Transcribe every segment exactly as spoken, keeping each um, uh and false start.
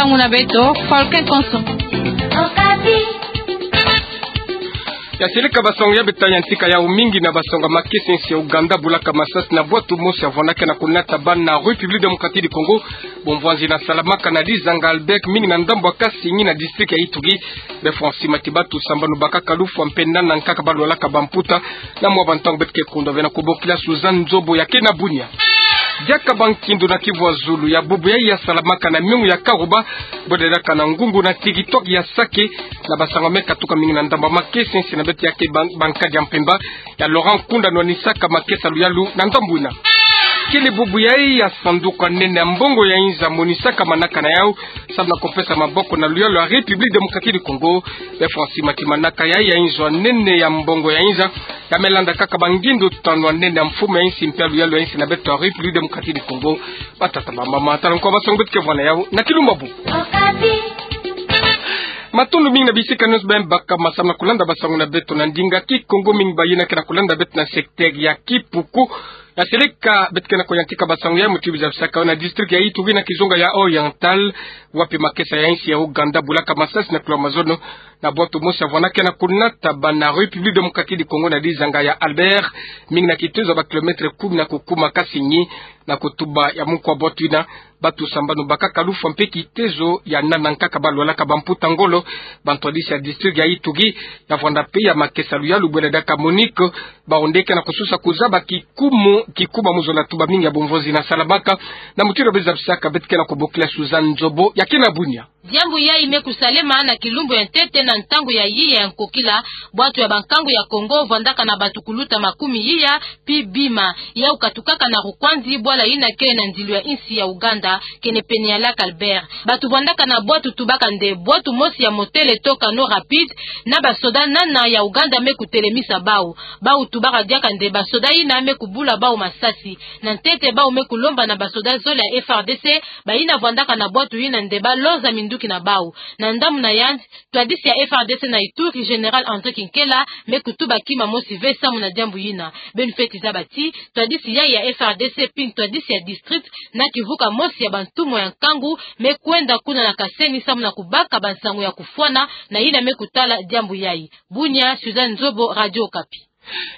Muna beto, Falcon Konso. Ya seleka basango ya beto ta yantika yawu mingi na basango ya makesa ya insi ya Ouganda bulaka masasi na bwatu mosi ya vwandaka na kunata bana na République Démocratique du Congo. Bomvwanzi nasalamaka na Dizanga Albert mingi na ndambu ya Kasenyi na district ya Ituri. Be fwa nsi mati batu sambanu bakaka lufwa mpe nana nkaka balwalaka bamputa. Na mwa bantangu beto ke kundwa bena kubokila Suzanne Nzobo ya kena bunia. Diaka bankindu na Kivu ya zulu ya bubu yayi yasalamaka na miungu ya Karuba, bwededaka na ngungu na territoire ya Sake, na basango me katuka mingi na ndambu ya makesa ya insi na beto ya ke ban-, bankadi ya mpemba ya Laurent Nkunda nwanisaka makesa luyalu na ndambu yina. Kele bubu yayi ya sanduku ya nene ya mbongo ya inzo ya monisaka manaka na yawu, samu na kupesa maboko na luyalu ya République Démocratique du Congo. Be fwa nsi mati manaka yayi ya inzo ya nene ya mbongo ya inzo ya me landa kaka bangindu tanu ya nene ya mfumu ya insi mpe ya luyalu ya insi na beto ya République Démocratique du Congo. Batata, bamama, tala nkwa basango beto ke vwa na yawu na kilumbu ya bubu. Matondo mingi na bisika nyonso beno bakama samu na kulanda basango na beto na ndinga Kikongo, mingi bayina ke na kulanda beto na secteur ya Kipuku. Ya seleka beto ke na kuyantika basango ya muti biza bisaka na district ya Ituri na kizunga ya Oriental, wapi makesa ya insi ya Ouganda bulaka masasi na kula mazono na bwatu mosi ya vwandaka na kunata bana République Démocratique du Congo na Dizanga ya Albert, mingi na kitezo ya ba kilomètre kumi na kukuma Kasenyi. Na kutuba ya muku ya bwatu yina, batu sambanu bakaka lufwa mpe kitezo ya nana nkaka balwalaka bamputa ngolo. Bantwadisi ya district ya Ituri ya vwanda mpe ya makesa luyalu bwela diaka MONUC, bawu nde ke na kusosa kuzaba kikumu, kikumu ya muzola tuba mingi ya bomvonzi nasalamaka. Na mutindu beno zabisaka, beto ke na kubokila Suzanne Nzobo ya kena bunia. Diambu yayi me kusalema na kilumbu ya ntete na ntangu ya yiya ya nkokila, bwatu ya bankangu ya Congo vwandaka na batu kuluta makumi yiya pi bima, yawu katukaka na Rukwanzi, bwala yina ke na ndilu ya insi ya Ouganda, kenepene ya Lac Albert. Batu vwandaka na bwatu tubaka nde bwatu mosi ya motele to canot rapide, na basoda nana ya Ouganda me kutelemisa bawu. Bawu tubaka diaka nde basoda yina me kubula bawu masasi. Na ntete bawu me kulomba na basoda zole ya F R D C, bayina vwandaka na bwatu yina nde baloza minduki na bawu. Na ndambu na yandi, twadisi ya F R D C na Ituri, Général André Kinkela, me kutuba kima mosi ve samu na diambu yina. Beno feti zaba ti twadisi yayi ya F R D C pi ntwadisi ya district na kivuka mosi ya bantumwa ya nkangu me kwenda kuna na Kasenyi samu na kubaka bansango ya kufwana na yina me kutala diambu yayi. Bunia, Suzanne Nzobo, Radio Okapi.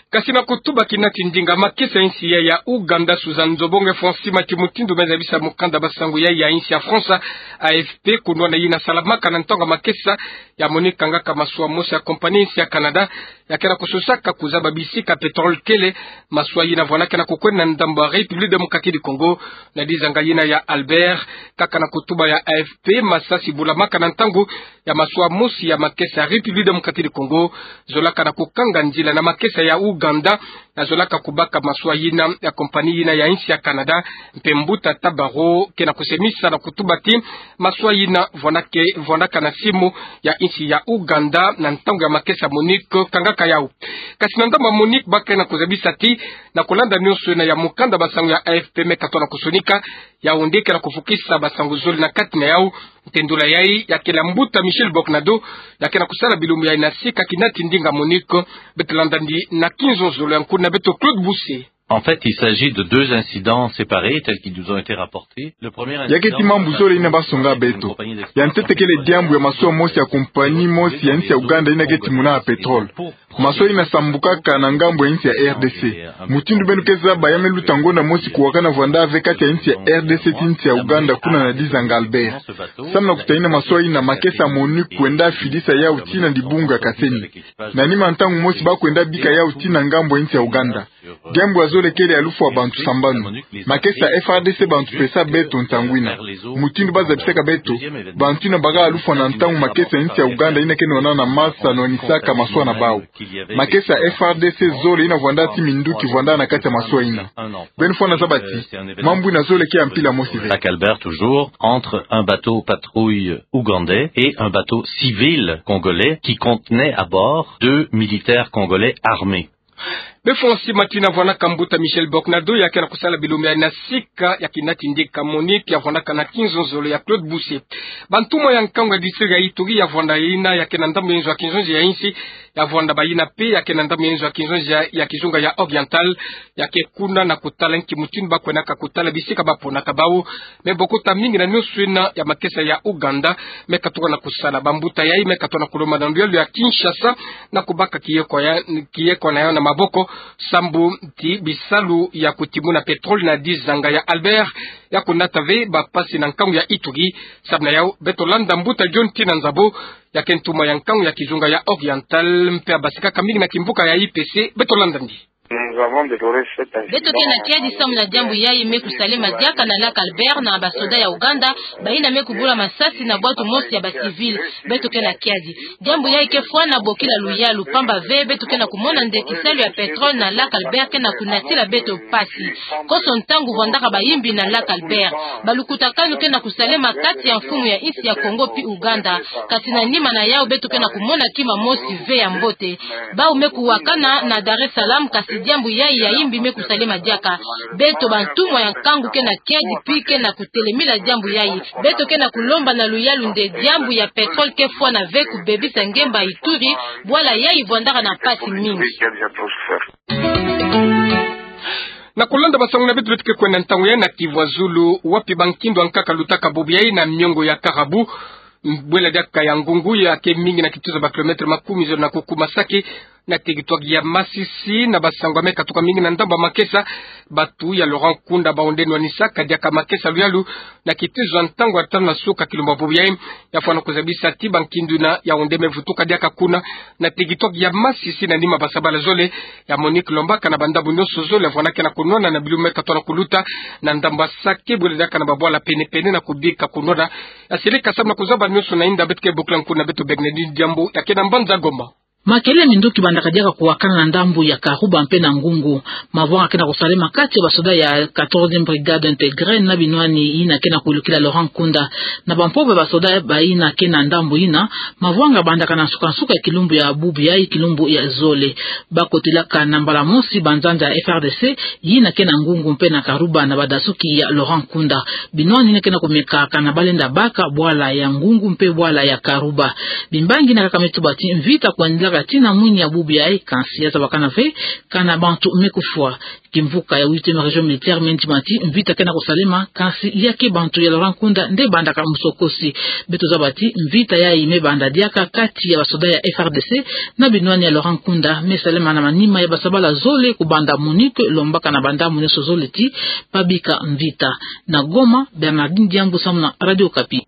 Kasi na kutuba kinati ndinga makesa ya insi ya, ya Ouganda, Suzanne Nzobo nge fwa nsi mati mutindu me zabisa mukanda basango ya, ya insi ya France, A F P, kunwana yina salamaka na ntangu ya makesa ya MONUC kangaka masuwa mosi ya compagnie ya insi ya Canada, ya ke na kusosaka kuzaba bisika pétrole kele. Masuwa yina vwandaka na kukwenda na ndambu ya République Démocratique du Congo, na dizanga yina ya Albert. Kaka na kutuba ya A F P, masasi bulamaka na ntangu ya masuwa mosi ya makesa ya République Démocratique du Congo, zolaka na kukanga nzila na makesa ya Ouganda, na zolaka kubaka masuwa yina ya compagnie yina ya insi ya Canada, mpe mbuta Tabaro ke na kusemisa na kutuba ti masuwa yina vwandaka, vwandaka na simu ya insi ya Ouganda na ntangu ya makesa MONUC kangaka yawu. Kasi na ndambu ya MONUC ba ke na kuzabisa ti, na kulanda nyonso yina ya mukanda basango ya A F P me katoa na kusonika, yawu nde ke na kufukisa basango zole na kati na yawu. Ntendula yayi ya kele mbuta Michel Boknado, ya ke na kusala bilumbu yayi na sika kinati ndinga MONUC. Beto landa ndi na kinzonzolo ya nkuna beto Claude Bousse. En fait, il s'agit de deux incidents séparés, tels qu'ils nous ont été rapportés. Le premier incident... Ya keti mambu zole yina basonga beto. Ya ntete kele diambu ya masuwa mosi ya compagnie mosi ya insi ya Ouganda yina keti muna ya pétrole. Masuwa yina sambukaka na ngambu ya insi ya R D C. Mutindu beno ke zaba, ya me luta ngonda mosi kuwakana vwanda ve kati ya insi ya R D C ti insi ya Ouganda kuna na dizanga Albert, samu na kutahina masuwa yina makesa MONUC kwenda fidisa yawu tii na dibungu ya Kasenyi. Na nima ntangu mosi ba kwenda bika yawu tii na ngambu ya insi ya Ouganda. Diambu ya zole kele ya lufwa bantu sambanu. Makesa F R D C bantu pesa beto ntangu yina. Mutindu ba zabisaka beto, bantu yina baka lufwa na ntangu makesa ya insi ya Ouganda yina ke nwana na masa nwanisaka masuwa na bawu. Makesa F R D C zole yina vwanda ti minduki vwanda na kati ya masuwa yina. Beno fwana zaba ti mambu yina zole ke ya mpila mosi ve. Lac Albert toujours, entre un bateau patrouille ougandais et un bateau civil congolais qui contenait à bord deux militaires congolais armés. Be fo nsi matina vwanaka mbuta Michel Boknado, ya ke na kusala bilumbu ya na sika ya kinati ndika MONUC, ya vwanaka na kinzonzolo ya Claude Bousse. Bantumwa ya nkangu ya district ya Ituri ya vwanda yina ya ke na ndambu ya nzo ya kinzonzi ya insi, ya vwanda bayina mpe ya ke na ndambu ya nzo ya kinzonzi ya, ya kizunga ya Oriental, ya ke kuna na kutala nki mutindu ba kwenaka kutala bisika ba ponaka bawu. Me bokota mingi na nionso yina ya makesa ya Ouganda me katuka na kusala. Bambuta yayi me katuka na kulomba na luyalu ya Kinshasa na kubaka kiyeko ya, kiyeko na yawu na maboko, sambu ti bisalu ya kutimuna pétrole na dizanga ya Albert ya kunata ve bapasi na nkangu ya Ituri. Samu na yawu, beto landa mbuta John Tina Nzabo, ya ke ntumwa ya nkangu ya kizunga ya Oriental, mpe abasikaka mingi na kimvuka ya I P C, beto landa ndi. Beto ke na kiadi samu na diambu yayi me kusalema diaka na Lac Albert na basoda ya Ouganda, bayina me kubula masasi na bwatu mosi ya ba civil. Beto ke na kiadi. Diambu yayi ke fwana bokila luyalu, pamba ve beto ke na kumona nde kisalu ya pétrole na Lac Albert ke na kunatila beto mpasi. Konso ntangu vwandaka bayimbi na Lac Albert. Balukutakanu ke na kusalema kati ya mfumu ya insi ya Congo mpe Ouganda. Kasi na nima na yawu beto ke na kumona kima mosi ve ya mbote. Bawu me kuwakana na Dar es Salaam, kasi diambu yayi ya yimbi me kusalema diaka. Beto bantumwa ya nkangu ke na kiadi mpe ke na kutelemila diambu yayi. Beto ke na kulomba na luyalu nde diambu ya pétrole ke fwana ve kubebisa ngemba Ituri, bwala yayi vwandaka na mpasi mingi. Na kulanda basangu na beto, beto ke kwenda ntangu yayi na Kivu ya Zulu, wapi bankindu ankaka lutaka bubu yayi na miongo ya Karabu, bwela diaka ya ngungu ya ke mingi na kituza ba kilomètre makumi zole na kuku Masake, na territoire ya Masisi, na basangu me katuka mingi na ndambu ya makesa. Bantu ya Laurent Nkunda baonde nwanisaka diaka makesa luyalu na kituza ntangu ya tanu na suka kilumbu ya bubu yayi, ya fwana kuzabisa ti bankindu yina ya onde me vutuka diaka kuna na territoire ya Masisi na nima basabala zole ya MONUC lombaka na bandambu nionso zole ya fwana ke na kunwana na bilumbu me katuka na kuluta na ndambu ya Sake, bwela diaka na babwala pene-pene na kubika kunwana. Ya seleka samu na kuzaba nionso na inda, beto ke bokila nkuna beto Bernardine Diambu ya ke na mbanza Goma. Makelele ya minduki bandaka diaka kuwakana na ndambu ya Karuba mpe na Ngungu. Mavwanga ke na kusalema kati ya basoda ya quatorzième brigade intégrée na binwani yina ke na kuwilukila Laurent Nkunda. Na bampova ya basoda bayina ke na ndambu yina, mavwanga bandaka na nsuka-nsuka ya kilumbu ya bubu yayi, kilumbu ya zole. Bakotelaka na mbala mosi banzanza ya F R D C yina ke na Ngungu mpe na Karuba na badasuki ya Laurent Nkunda. Binwani yina ke na kumeka kana balenda baka bwala ya Ngungu mpe bwala ya Karuba. Bimbangi yina kaka me tuba ti mvita kwendilaka tii na mwini ya bubu yayi, kansi ya zabakana ve kana bantu me kufwa. Kimvuka ya huitième région militaire me ndima ti mvita ke na kusalema, kansi ya ke bantu ya Laurent Nkunda nde bandaka musokosi. Beto zaba ti mvita yayi me banda diaka kati ya basoda ya F R D C na binwani ya Laurent Nkunda, me salema na manima ya basabala zole kubanda MONUC lombaka na bandambu nionso zole ti babika mvita. Na Goma, Bernardine Diambu samu na Radio Okapi.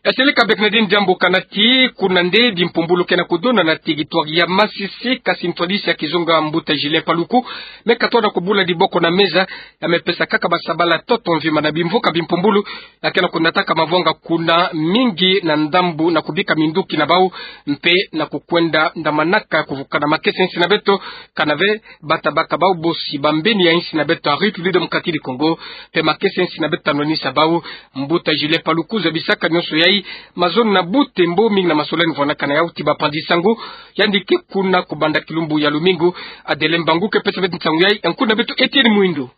Ya seleka Bernardine Diambu, kana ti kuna nde bimpumbulu ke na kudona na territoire ya Masisi, kansi ntwadisi ya kizunga mbuta Julien Paluku me katuka na kubula diboko na meza, ya me pesa kaka basabala ntoto mvimba na bimvuka bimpumbulu ya ke na kunataka mavwanga kuna mingi na ndambu na kubika minduki na bawu, mpe na kukwenda ndamanaka kuvukana makesa ya insi na beto, kana ve bata baka bawu bosi bambeni ya insi na beto ya République démocratique du Congo, mpe makesa ya insi na beto ta nwanisa bawu. Mbuta Julien Paluku zabisaka nionso yayi mazono na butembo mingi na masolani vwanaka na yawu ti bapanzi sango. Yandi ke kuna kubanda kilumbu ya lumingu. Adele Mbangu ke pesa beto nsangu yayi, nkuna beto Etienne Mwindo.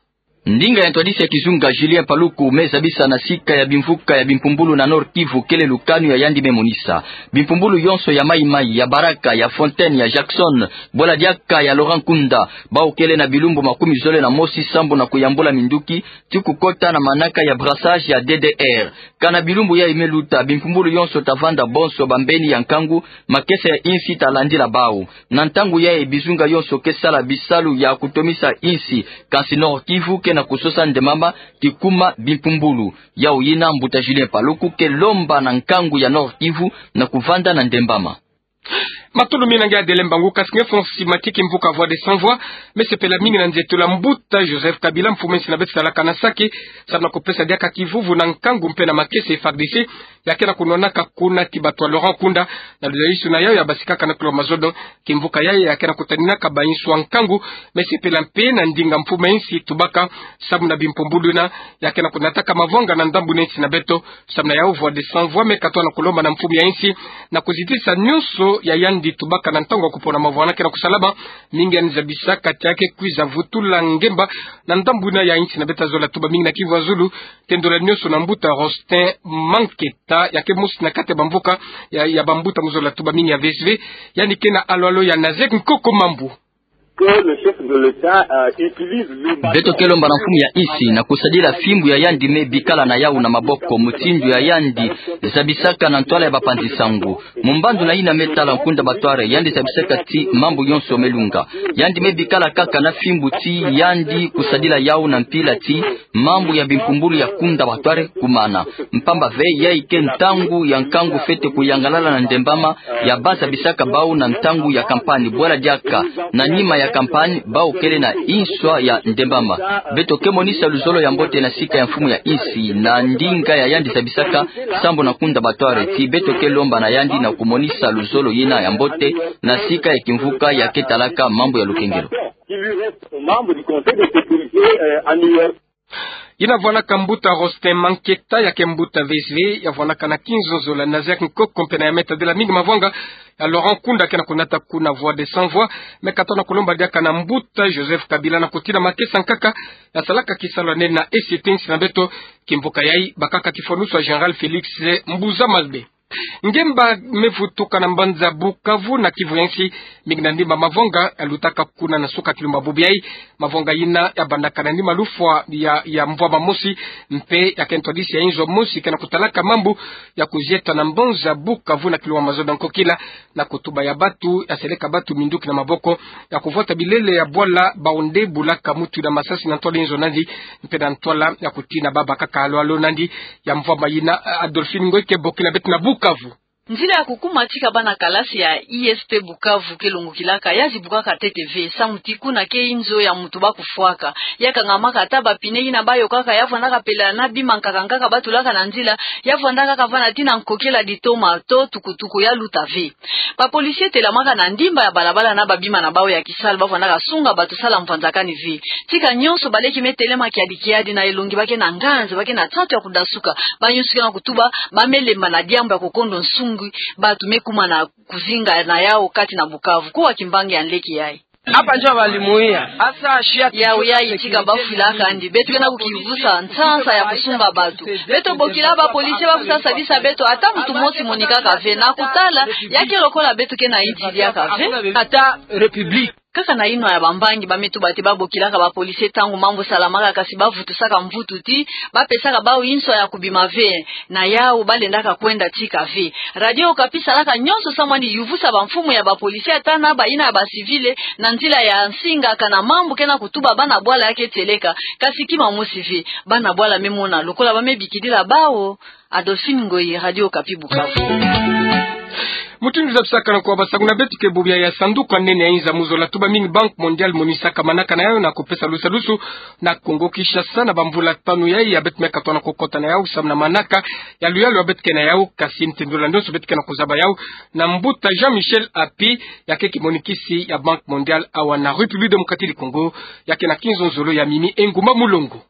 Ndinga ya ntwadisi ya kizunga Julien Paluku me zabisa na sika ya bimvuka ya bimpumbulu na Nord-Kivu kele lukanu ya yandi me monisa. Bimpumbulu yonso ya Maï-Maï, ya Baraka, ya Fontaine, ya Jackson, bwela diaka ya Laurent Nkunda, bawu kele na bilumbu makumi zole na mosi sambu na kuyambula minduki ti kukota na manaka ya brassage ya D D R. Kana bilumbu yayi me luta, bimpumbulu yonso ta vanda bonso bambeni ya nkangu, makesa ya insi ta landila bawu. Na ntangu yayi bizunga yonso ke sala bisalu ya kutomisa insi, kansi Nord-Kivu ke na kusosa ndembama kikuma bimpumbulu. Yawu yina mbuta Julien Paluku ke lomba na nkangu ya Nord-Kivu na kuvanda na ndembama. Matondo mingi na nge Adele Mbangu, kansi nge fo nsi mati kimvuka Voix des Sans Voix me sepela mingi na nzietolo ya mbuta Joseph Kabila, mfumu ya insi na beto salaka na Sake, samu na kupesa diaka kivuvu na nkangu mpe na makesa ya F A R D C ya ke na kunwanaka kuna ti bato ya Laurent Nkunda. Na luzalisu na yawu ya basikaka na kilo mazono, kimvuka yayi ya ke na kutaninaka bayinsu ya nkangu me sepela mpe na ndinga mfumu ya insi tubaka samu na bimpumbulu yina ya ke na kunataka mavwanga na ndambu na insi na beto. Samu na yawu Voix des Sans Voix me katuka na kulomba na mfumu ya insi na kuzitisa nionso ya yandi Yandi tubaka na ntangu ya kupona mavwanga ke na kusalama, mingi yandi zabisaka ti ake kwiza vutula ngemba na ndambu yina ya insi na beto ya zola tuba mingi na Kivu ya Zulu, tendula nionso na mbuta Rostin Manketa, ya ke mosi na kati ya bamvuka ya, ya bambuta mu zola tuba mingi ya V S V, yandi ke na alo-alo ya Nazaire Nkoko Mambu. Que le chef de l'État, euh, utilise le Beto ke lomba na mfumu ya insi na kusadila fimbu ya yandi me bikala na yawu na maboko, mutindu ya yandi zabisaka na ntwala ya bapanzi sangu. Mu mbandu na yina me tala Nkunda Batware, yandi zabisaka ti mambu yonso me lunga. Yandi me bikala kaka na fimbu ti yandi kusadila yawu na mpila ti mambu ya bimpumbulu ya Nkunda Batware kumana. Mpamba ve, yayi ke ntangu ya nkangu fwete kuyangalala na ndembama ya ba zabisaka bawu na ntangu ya kampani. Bwala diaka, na nima ya kampani, bawu kele na inswa ya ndembama. Beto ke monisa luzolo ya mbote na sika ya mfumu ya insi na ndinga ya yandi zabisaka sambu na Nkunda Batware, ti beto ke lomba na yandi na kumonisa luzolo yina ya mbote na sika ya kimvuka ya ke talaka mambu ya lukengelo. Qui lui reste aux membres du Conseil de sécurité, euh, à New York. Yina vwanaka mbuta Rostin Manketa, ya ke mbuta V S V, ya vwanaka na kinzo zola Nazaire Nkoko, mpe na ya me tadila mingi mavwanga ya Laurent Nkunda ke na kunata kuna Voix des Sans Voix, me katona kulomba diaka na mbuta Joseph Kabila na kutina makesa nkaka ya salaka kisalu ya nene na esi etensi na beto, kimvuka yayi bakaka tifwanusu ya Général Félix Mbuza Malbe. Ngemba me vutuka na mbanza Bukavu na Kivu ya nsi, mingi na ndimba mavwanga ya lutaka kuna na suka kilumba bubu yayi. Mavwanga yina ya bandaka na ndimba lufwa ya, ya mvwama mosi, mpe ya ke ntwadisi ya inzo mosi ke na kutalaka mambu ya kuzieta na mbanza Bukavu na kilumba mazono ya nkokila, na kutuba ya batu ya seleka batu minduki na maboko, ya kuvwata bilele ya bwala bawu nde bulaka mutu na masasi na ntwala inzo nandi, mpe na ntwala ya kutina baba kaka alo-alo nandi. Ya mvwama yina, Adolphine Ngoy ke bokila beto na Bukavu. Nzila ya kukuma tika bana kalasi ya I S P Bukavu ke longokilaka, ya zibukaka ntete ve, samu ti kuna ke inzo ya mutu ba kufwaka. Ya kangamaka ata ba pneu yina ba yokaka ya vwandaka pela na bima nkaka nkaka ba tulaka na nzila, ya vwandaka kaka vwanda tii na nkokila ditoma to tukutuku ya luta ve. Ba policiers telamaka na ndimba ya balabala na ba bima na bawu ya kisalu, ba vwandaka sunga bato sala mvwanzakani ve. Tika nyonso baleki me telema kiadi kiadi na elongi, ba ke na nganzi, ba ke na nsatu ya kudasuka, ba nyonso ke na kutuba ba me lemba na diambu ya kukondo nsungi, bato me kuma na kuzinga na yawu kati na Bukavu. Kuwa kimbangi ya nleke yayi. Hapa njo walimuia. Asa shia. Yawu yayi tika ba fwilaka yandi. Beto ke na kukivusa nsansa ya kusunga bato. Beto bokila ba policiers ba kusa sadisa beto, ata mutu mosi monikaka ve na kutala, ya ke lokola beto ke na insi diaka ve. Ata république. Kaka na yinwa ya bambangi ba me tuba ti ba bokilaka ba policiers ntangu mambu salamaka, kasi ba vutusaka mvutu ti ba pesaka bawu inso ya kubima ve. Na yawu ba lendaka kwenda tika ve. Radio Okapi salaka nyonso samu yandi yuvusa ba mfumu ya ba policiers ata na ba yina ya ba civils na nzila ya nsinga, kana mambu ke na kutuba bana bwala ya ke tieleka, kasi kima mosi ve. Bana bwala me mona lokola ba me bikidila bawu. Adolphine Ngoyi, Radio Okapi, Bukavu. Mutindu zabisaka na kuwa basangu na beto ke bubu yayi, sanduku ya nene ya inza mu zola tuba mingi, Banque Mondiale, monisaka manaka na yawu na kupesa lusadusu na Kongo Kinshasa na bamvula tanu yayi ya beto me katuka na kukota na yawu samu na manaka ya luyalu ya beto ke na yawu, kasi ntendula nionso beto ke na kuzaba yawu na mbuta Jean-Michel Api, ya ke kimonikisi ya Banque Mondiale awa na République Démocratique du Congo, ya ke na kinzonzolo ya Mimi Engumba Mulongo.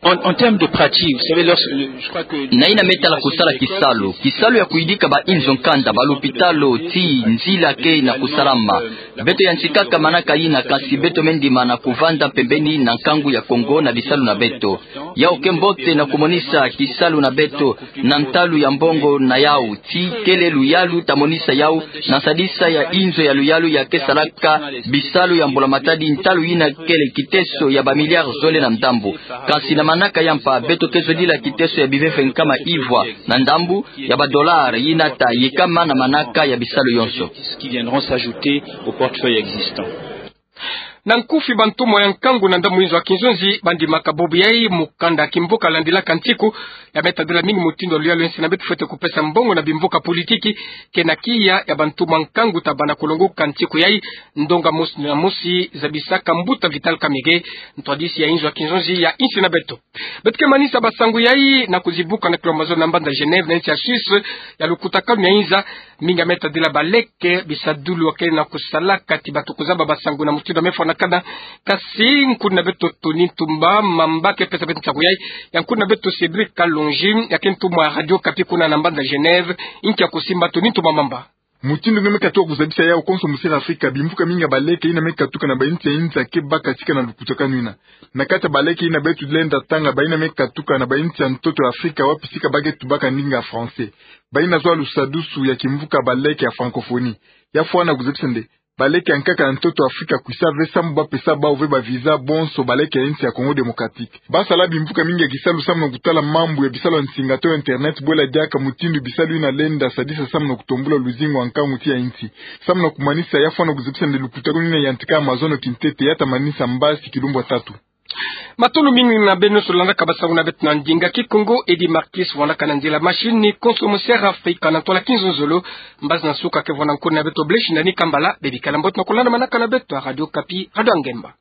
En, en termes de pratique, vous savez, lorsque, je crois que na yina me tala kusala kisalu, kisalu ya kuyidika ba inzo nkanda, ba lupitalu, tii nzila ke na kusalama. Beto yantikaka manaka yina, kasi beto me ndima na kuvanda pembeni na nkangu ya Kongo na bisalu na beto. Yawu ke mbote na kumonisa kisalu na beto na ntalu ya mbongo na yawu, tii kele luyalu ta monisa yawu na nsadisa ya inzo ya luyalu ya ke salaka bisalu ya mbula matadi, ntalu yina kele kiteso ya ba milliards zole na ndambu. Kasi na manaka ya mpa, beto ke zodila kiteso ya biveve nkama ivwa na ndambu ya ba dollars yina ta yikama na manaka ya bisalu yonso. Qui viendront s'ajouter au portefeuille existant. Na nkufi, bantumwa ya nkangu na ndambu inzo ya kinzonzi ba ndimaka bubu yayi mukanda kimvuka landilaka ntiku, ya me tadila mingi mutindu ya luyalu ya nsi na beto fwete kupesa mbongo na bimvuka politiki, ke na kiya ya bantumwa nkangu ta banda kulongoka ntiku yayi. Ndonga mosi na mosi zabisaka mbuta Vital Kamerhe, ntwadisi ya inzo ya kinzonzi ya insi na beto. Beto ke manisa basangu yayi na kuzibuka na kilomba zole na mbanza Genève na insi ya Suisse, ya lukutakanu ya inza. Mingi ya me tadila baleke bisadulu ya ke na kusalaka ti bato kuzaba basangu na mutindu ya me fwanakana. Kasi nkundina beto Tony Ntumba Mamba ke pesa beto nsangu yayi. Ya nkundina beto Cédric Kalonji, ya ke ntumwa ya Radio Okapi kuna na mbanza Genève, inki ya kusimba, Tony Ntumba Mamba. Mutindu nge me katuka kuzabisa yawu, konso mosiri Afrika, bimvuka mingi ya baleke ina me katuka na bainsi ya inza ke baka tika na lukutakanu ina. Na kati ya baleke ina beto lenda tanga, baina me katuka na bainsi ya ntoto ya Afrika, wapi tika ba ke tubaka ndinga ya français. Baina zwa lusadusu ya kimvuka baleke ya francophonie. Ya fwana kuzabisa nde baleke ya nkaka ya ntoto ya Afrika kwisa ve samu ba pesa bawu ve ba visa bonso baleke ya insi ya Congo Démocratique. Ba sala bimvuka mingi ya kisalu samu na kutala mambu ya bisalu ya nsinga to internet, bwela diaka mutindu bisalu ina lenda sadisa samu na kutombula luzingu ya nkangu ti ya insi. Samu na kumanisa, ya fwana kuzabisa nde lukutakanu ina yantika Amazon kintete ya ta manisa mbasi kilumbu ya tatu. Matondo mingi na beno nyonso landaka basangu na beto na ndinga Kikongo. Eddy Marquis vandaka na nzila machine, konso mosiri Afrika na ntwala kinzonzolo. Mbazi na nsuka ke vwanda nkoni na beto Blaise Ndani Kambala. Bebikala mbote na kulanda manaka na beto ya Radio Okapi, Radio ya Ngemba.